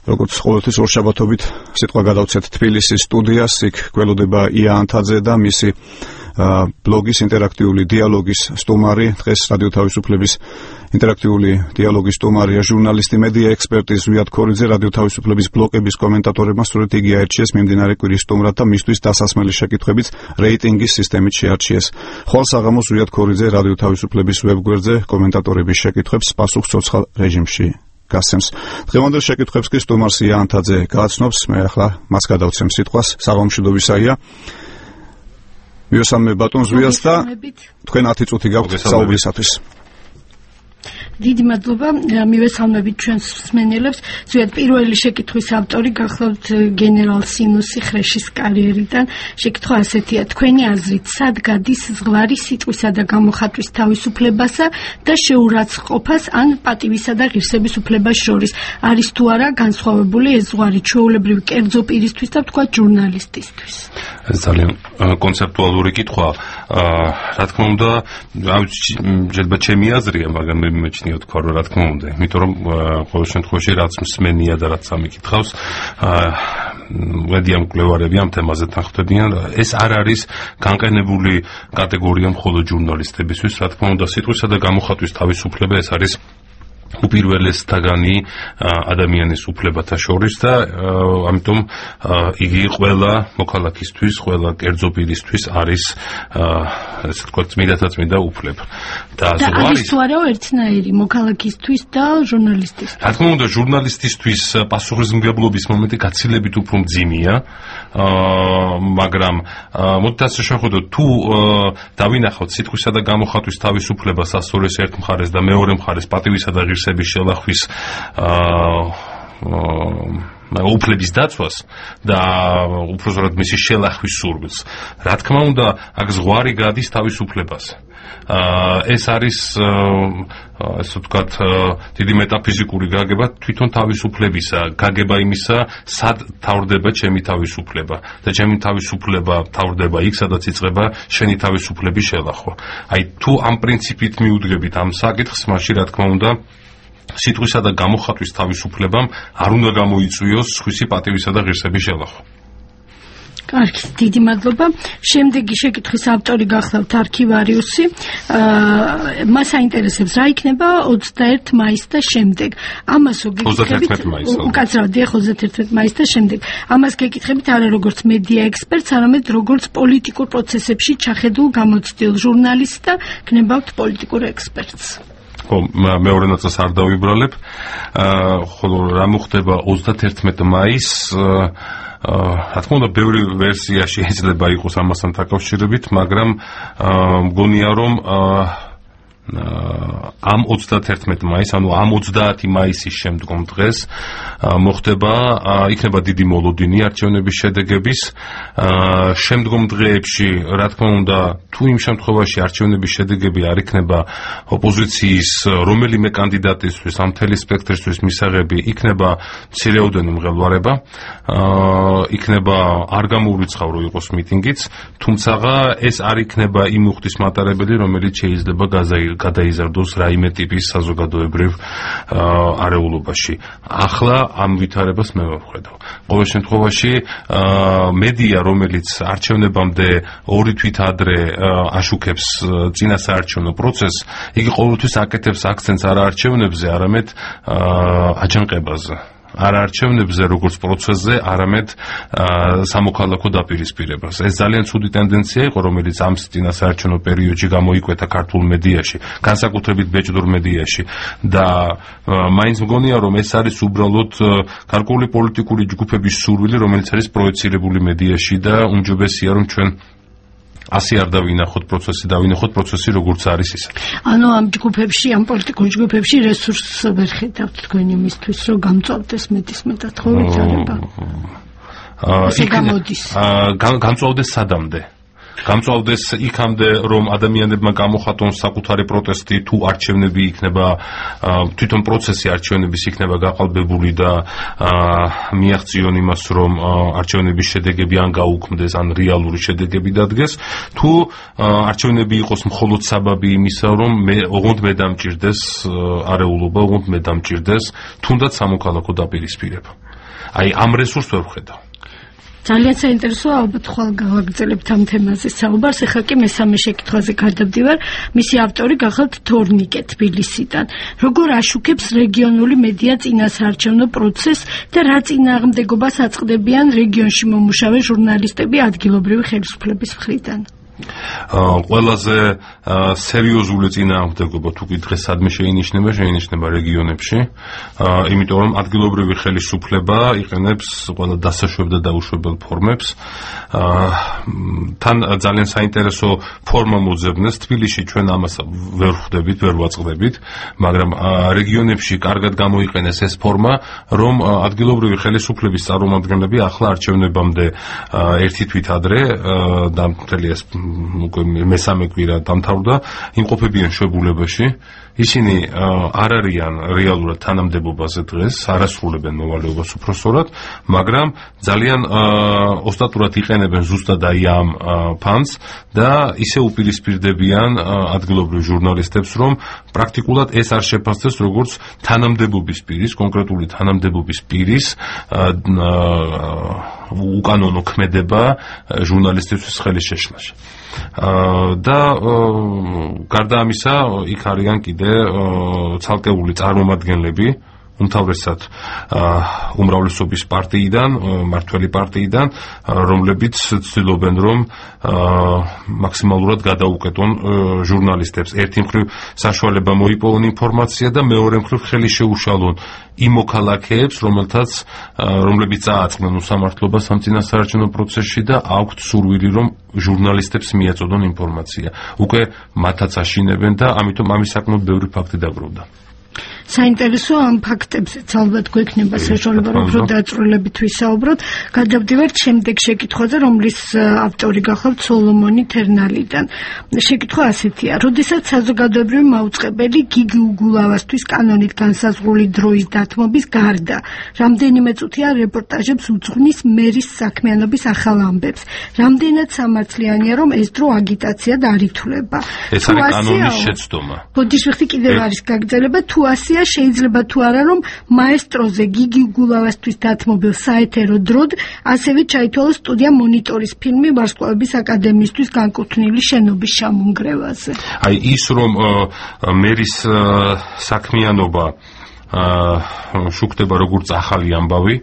როგორც ყოველთვის ორშაბათობით სიტყვა გადავცეთ თბილისის სტუდიას, იქ გველოდება ია ანთაძე და მისი ბლოგის ინტერაქტიული დიალოგის სტუმარი, დღეს რადიო თავისუფლების ინტერაქტიული დიალოგის სტუმარია ჟურნალისტი, მედია ექსპერტი ზვიად ქორიძე, რადიო თავისუფლების ბლოკების კომენტატორებმა სწორედ იგი აირჩიეს მიმდინარე კვირის სტუმრად და მისთვის დასასმელი შეკითხვებით რეიტინგის სისტემით შეარჩიეს. ხვალ საღამოს ზვიად ქორიძე რადიო თავისუფლების ვებგვერდზე კომენტატორების შეკითხვებს პასუხს ცოცხალ რეჟიმში გასცემს. დღევანდელ შეკითხვებს კი სტუმარს ია ანთაძე გააცნობს, მე ახლა მას გადავცემ სიტყვას, საღამომშვიდობისაია. მივესალმე ბატონ ზვიას და თქვენ 10 წუთი გაქვთ საუბრისათვის. დიდი მადლობა, მივესალმებით ჩვენს მსმენელებს. ზოგადად პირველი შეკითხვის ავტორი გახლავთ გენერალ სინუსი ხრეშის კარიერიდან. შეკითხვა ასეთია: თქვენი აზრით, სად გადის ზღვარი სიტყვისა და გამოხატვის თავისუფლებასა და შეურაცხყოფას ან პატივისა და ღირსების უფლებას შორის? არის თუ არა განსხვავებული ეს ზღვარი ჩვეულებრივი კერძო პირისთვის და თქვა ჟურნალისტისთვის? ეს ძალიან კონცეპტუალური კითხვა. რა თქმა უნდა, შეიძლება ჩემი აზრია, მაგრამ მე მიჩნიოთ თქვა, რა თქმა უნდა, იმიტომ რომ ყოველ შემთხვევაში რაც მსმენია და რაც ამიკითხავს, ვედია მკვლევარები ამ თემაზე თანხმდებიან, ეს არ არის განყენებული კატეგორია მხოლოდ ჟურნალისტებისთვის, რა თქმა უნდა, სიტყვისა და გამოხატვის თავისუფლება ეს არის უპირველესთაგანი ადამიანის უფლებათა შორის და ამიტომ იგი ყველა მოქალაქისთვის, ყველა კერძო პირისთვის არის ესე ვთქვათ წმინდა უფლება. და არის თუ არა ერთნაირი მოქალაქისთვის და ჟურნალისტისთვის? რა თქმა უნდა, ჟურნალისტისთვის პასუხისმგებლობის მომენტი გაცილებით უფრო მძიმეა, მაგრამ მოდით ასე შევხედოთ, თუ დავინახავთ სიტყვისა და გამოხატვის თავისუფლებას ასწორეს ერთ მხარეს და მეორე მხარეს პატივისა და ღირსების შელახვის უფლების დაცვას და უпростоრად მისი შელახვის სურვილს. რა თქმა უნდა, აქ ზღვარი გადის თავისუფლებას. ეს არის ასე ვთქვათ დიდი მეტაფიზიკური გაგება თვითონ თავისუფლებისა, გაგება იმისა, სად თავდება ჩემი თავისუფლება და ჩემი თავისუფლება თავდება იქ, სადაც იწყება შენი თავისუფლების შელახვა. აი თუ ამ პრინციპით მიუდგებით ამ საკითხს, მაშინ რა თქმა უნდა სიტყვისა და გამოხატვის თავისუფლებამ არ უნდა გამოიწვიოს სხვისი პატივისა და ღირსების შელახვა. კარგი, დიდი მადლობა. შემდეგი შეკითხვის ავტორი გახლავთ არქივარიუსი. მას აინტერესებს რა იქნება 21 მაისს და შემდეგ. ამას გეკითხებით 31 მაისს და შემდეგ. ამას გეკითხებით არა როგორც მედია ექსპერტს, არამედ როგორც პოლიტიკურ პროცესებში ჩახედულ გამოცდილ ჟურნალისტს და გნებავთ პოლიტიკურ ექსპერტს. მეორე ნაწილს არ დავიბრალებ. ხოლო რა მოხდება 31 მაისს? რა თქმა უნდა, ბევრი ვერსია შეიძლება იყოს ამასთან დაკავშირებით, მაგრამ მგონია რომ ამ 31 მაისს, ანუ ამ 30 მაისის შემდგომ დღეს მოხდება, იქნება დიდი მოლოდინი არჩევნების შედეგების. შემდგომ დღეებში, რა თქმა უნდა, თუ იმ შემთხვევაში არჩევნების შედეგები არ იქნება ოპოზიციის რომელიმე კანდიდატისთვის, ამ მთელი სპექტრისთვის მისაღები, იქნება მცირეოდენი მღელვარება, იქნება არ გამოურიცხავ რომ იყოს მიტინგიც, თუმცა ეს არ იქნება იმ უხდის მატარებელი, რომელიც შეიძლება გადაიზარდოს რაიმე ტიპის საზოგადოებრივ არეულობაში. ახლა ამ ვითარებას მე ვხედავ. ყოველ შემთხვევაში მედია, რომელიც არჩევნებამდე 2 თვით ადრე აშუქებს წინასაარჩევნო პროცესს, იგი ყოველთვის აკეთებს აქცენტს არა არჩევნებზე, არამედ აჯანყებაზე. არ არჩევნებზე როგორც პროცესზე, არამედ სამოქალაქო დაპირისპირებას. ეს ძალიან ცუდი ტენდენცია იყო, რომელიც ამ წინასაარჩევნო პერიოდში გამოიკვეთა ქართულ მედიაში, განსაკუთრებით ბეჭდურ მედიაში და მაინც მგონია, რომ ეს არის უბრალოდ გარკვეული პოლიტიკური ჯგუფების სურვილი, რომელიც არის პროექცირებული მედიაში და უმჯობესია, რომ ჩვენ ასე არ დავინახოთ პროცესი როგორც არის ის. ანუ ამ ჯგუფებში, ამ პოლიტიკურ ჯგუფებში რესურსს ვერ ხედავთ თქვენ იმისთვის, რომ გამწვავდეს მეტისმეტად ხო ვითარება? ესე გამოდის. გამწვავდეს სადამდე? გამწვავდეს იქამდე, რომ ადამიანებმა გამოხატონ საკუთარი პროტესტი, თუ არჩევნები იქნება, თვითონ პროცესი არჩევნების იქნება გაყალბებული და მიაღწიონ იმას, რომ არჩევნების შედეგები ან გაუქმდეს, ან რეალური შედეგები დადგეს, თუ არჩევნები იყოს მხოლოდ საბაბი იმისა, რომ ოღონდ მე დამჭირდეს არეულობა, ოღონდ მე დამჭირდეს თუნდაც სამოქალაქო დაპირისპირება. აი ამ რესურსს ვერ ვხედავ. ძალიან საინტერესოა, ალბათ ხვალ გავაგრძელებთ ამ თემაზე საუბარს. ეხლა კი მესამე შეკითხვაზე გადავდივარ. მისი ავტორი გახალთ თორნიკე თბილისიდან. როგორ აშუქებს რეგიონული მედია წინასაარჩევნო პროცესს და რა წინააღმდეგობას აწყდებიან რეგიონში მომუშავე ჟურნალისტები ადგილობრივი ხელისუფლების მხრიდან? ყველაზე სერიოზული წინააღმდეგობა თუ კი დღეს სადმე შეინიშნება რეგიონებში, იმიტომ რომ ადგილობრივი ხელისუფლება იყენებს ყველა დასაშვებ და დაუშვებელ ფორმებს. თან ძალიან საინტერესო ფორმა მოძებნეს თბილისში, ჩვენ ამას ვერ ხვდებით, ვერ ვაწყდებით, მაგრამ რეგიონებში კარგად გამოიყენეს ეს ფორმა, რომ ადგილობრივი ხელისუფლების წარმომადგენლები ახლა არჩევნებამდე ერთი თვით ადრე და მთელი ეს მესამე კვირა დამთავრდა, იმყოფებიან შვებულებაში. ისინი არ არიან რეალურად თანამდებობაზე დღეს, არ ასრულებენ მოვალეობას უпроსწორად, მაგრამ ძალიან ოსტატურად იყენებენ ზუსტად აი ამ ფანს და ისე უპირისპირდებიან ადგილობრივ ჟურნალისტებს, რომ პრაქტიკულად ეს არ შეფასდეს როგორც თანამდებობის პირის, კონკრეტული თანამდებობის პირის უკანონო ქმედება ჟურნალისტების ხელის შეშლაში. და გარდა ამისა, იქ არიან კიდე ცალკეული წარმომადგენლები, უმთავრესად უმრავლესობის პარტიიდან, მართველი პარტიიდან, რომლებიც ცდილობენ, რომ მაქსიმალურად გადაუკეტონ ჟურნალისტებს. ერთი მხრივ საშუალება მოიპოვონ ინფორმაცია და მეორე მხრივ ხელი შეუშალონ იმ მოქალაქეებს, რომლებიც წააწყდნენ უსამართლობას ამ წინასაარჩევნო პროცესში და აქვთ სურვილი, რომ ჟურნალისტებს მიაწოდონ ინფორმაცია. უკვე მათაც აშინებენ და ამიტომ ამის საკმაოდ ბევრი ფაქტი დაგროვდა. საინტერესო ამ ფაქტებზეც ალბათ გვექნება საშუალება, რომ უფრო დაწვრილებით ვისაუბროთ. გადავდივართ შემდეგ შეკითხვაზე, რომლის ავტორი გახლავთ სოლომონი თერნალიდან. შეკითხვა ასეთია: როდესაც საზოგადოებრივი მაუწყებელი გიგი უგულავასთვის კანონით განსაზღვრული დროის დათმობის გარდა რამდენიმე წუთია რეპორტაჟებს უძღვნის მერის საქმიანობის ახალ ამბებს, რამდენად სამართლიანია, რომ ეს დრო აგიტაციად არ ითვლება? ეს არის კანონის შეცდომა. ბოდიშვიხტი კიდევ არის გაგრძელება, თუ ასეა, შეიძლება თუ არა, რომ მაესტროზე გიგი უგულავასთვის დათმობილ საეთერო დროდ ასევე ჩაითვალოს სტუდია მონიტორის ფილმი ვარსკვლავების აკადემიისთვის განკუთვნილი შენობის ჩამონგრევაზე. აი ის, რომ მერის საქმიანობა შუქდება როგორც ახალი ამბავი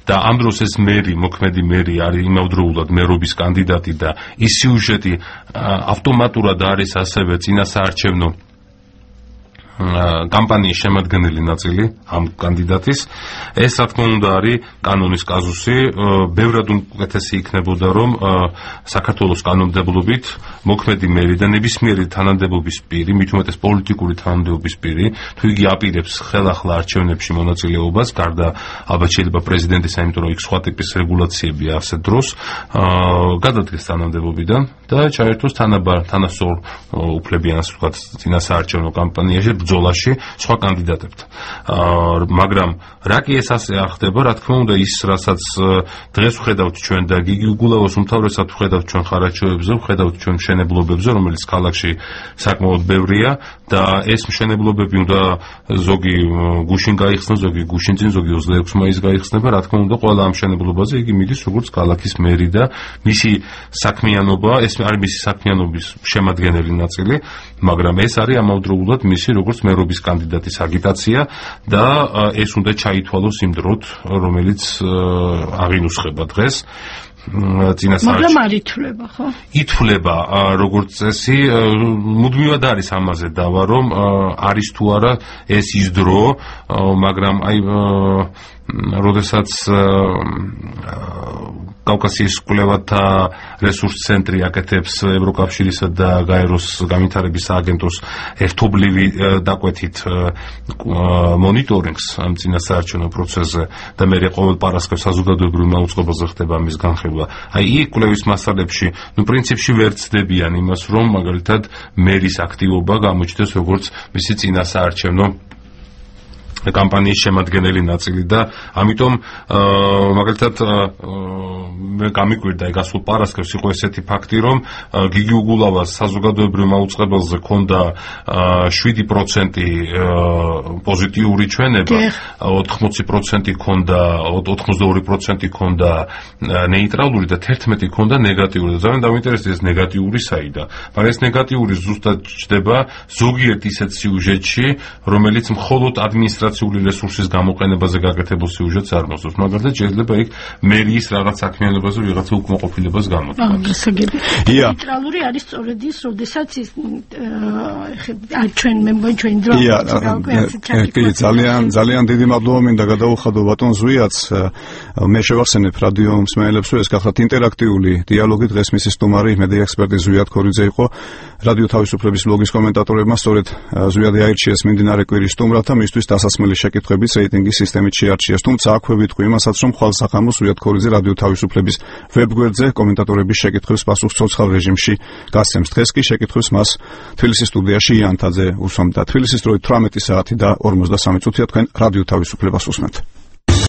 და ამ დროს ეს მოქმედი მერი არის იმავდროულად მერობის კანდიდატი და ის სიუჟეტი ავტომატურად არის ასევე წინასაარჩევნო კამპანიის შემადგენელი ნაწილი ამ კანდიდატის. ეს რა თქმა უნდა არის კანონის კაზუსი. ბევრად უკეთესი იქნებოდა, რომ საქართველოს კანონმდებლობით მოქმედი მერი და ნებისმიერი თანამდებობის პირი, მით უმეტეს პოლიტიკური თანამდებობის პირი, თუ იგი აპირებს ხელახლა არჩევნებში მონაწილეობას, გარდა ალბათ შეიძლება პრეზიდენტის, იმიტომ რომ იქ სხვა ტიპის რეგულაციებია ასეთ დროს, გადადგეს თანამდებობიდან და ჩაერთოს თანასწორ უფლებიან, ასე ვთქვათ, წინასაარჩევნო კამპანიაში ბრძოლაში სხვა კანდიდატებთან. მაგრამ რა კი ეს ასე არ ხდება, რა თქმა უნდა, ის რასაც დღეს ვხედავთ ჩვენ და გიგი უგულავას უმთავრესად ვხედავთ ჩვენ ხარაჩოებზე, ვხედავთ ჩვენ მშენებლობებზე, რომელიც ქალაქში საკმაოდ ბევრია და ეს მშენებლობები უნდა ზოგი გუშინ გაიხსნა, ზოგი გუშინ წინ, ზოგი 26 მაისს გაიხსნება, რა თქმა უნდა, ყველა ამ მშენებლობაზე იგი მიდის როგორც ქალაქის მერი და მისი საქმიანობა, ეს არის მისი საქმიანობის შემადგენელი ნაწილი, მაგრამ ეს არის ამავდროულად მისი როგორც მერობის კანდიდატის აგიტაცია და ეს უნდა ჩაითვალოს იმ დროთ, რომელიც აღინუსხება დღეს. მაგრამ არ ითვლება, ხო? ითვლება როგორც წესი, მუდმივად არის ამაზე დავა, რომ არის თუ არა ეს ის დრო, მაგრამ აი როდესაც კავკასიის კვლევათა რესურს ცენტრი აკეთებს ევროკავშირისა და გაეროს განვითარების სააგენტოს ერთობლივი დაკვეთით მონიტორინგს ამ წინასაარჩევნო პროცესზე და მე ყოველ პარასკევს საზოგადოებრივ მაუწყებელზე ხდება ამის განხილვა. აი იქ კვლევის მასალებში, პრინციპში ვერ ცდებიან იმას, რომ მაგალითად მერის აქტივობა გამოჩნდეს როგორც მისი წინასაარჩევნო კამპანიის შემადგენელი ნაწილი და ამიტომ მაგალითად მე გამიკვირდა გასულ პარასკევს იყო ესეთი ფაქტი, რომ გიგი უგულავას საზოგადოებრივ მაუწყებელზე ჰქონდა 7% პოზიტიური ჩვენება, 80% ჰქონდა 82% ჰქონდა ნეიტრალური და 11% ჰქონდა ნეგატიური. და ძალიან დავინტერესდა ეს ნეგატიური საიდან. მაგრამ ეს ნეგატიური ზუსტად ჩდება ზოგიერთ ისეთ სიუჟეტში, რომელიც მხოლოდ ადმინისტრაციული რესურსის გამოყენებაზე გაკეთებულ სიუჟეტს არ მოსდევს. მაგალითად, შეიძლება იქ მერიის რაღაც საქმიანობაზე ვიღაცა უკმაყოფილებას გამოთქვას. გასაგები. ნეიტრალური არის სწორედ ის, როდესაც ის ჩვენ მე მგონი ჩვენ დრო ძალიან დიდი მადლობა მინდა გადაუხადო ბატონ ზვიაც. მე შევახსენებ რადიო მსმენელებს, რომ ეს გახლავთ ინტერაქტიული დიალოგი. დღეს მისი სტუმარი მედია ექსპერტი ზვიად ქორიძე იყო. რადიო თავისუფლების ბლოგის კომენტატორებმა სწორედ ზვიადი აირჩიეს მიმდინარე კვირის სტუმრად და მისთვის დასასმელი შეკითხვების რეიტინგის სისტემით შეარჩიეს. თუმცა აქვე ვიტყვი იმასაც, რომ ხვალსახამოს ზვიად ქორიძე რადიო თავისუფლების ვებგვერდზე კომენტატორების შეკითხვებს პასუხს ცოცხალ რეჟიმში გასცემს. დღეს კი შეკითხვებს მას თბილისის სტუდიაში იანთაძე უსვამდა. თბილისის დროით 18 საათი და 53 წუთია თქვენ რადიო თავისუფლებას უსმენთ.